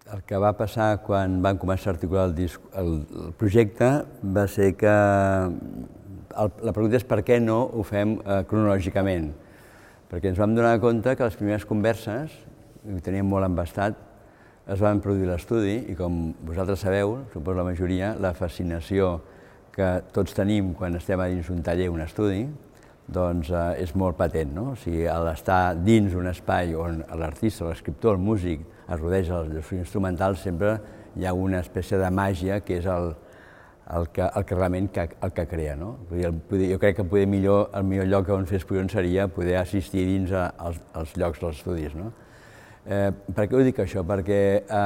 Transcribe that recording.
El que va passar quan vam començar a articular el projecte va ser que la pregunta és per què no ho fem cronològicament, perquè ens vam donar compte que les primeres converses, i ho teníem molt embastat, es van produir l'estudi i com vosaltres sabeu, suposo la majoria, la fascinació que tots tenim quan estem a dins un taller, un estudi, doncs és molt patent, no? O sigui, l'estar dins un espai on l'artista, l'escriptor, el músic es rodeja dels instrumentals, sempre hi ha una espècie de màgia que és el que realment el que crea, no? Jo crec que el millor lloc on fer exposicions seria poder assistir dins als llocs dels estudis, no? Per què ho dic això? Perquè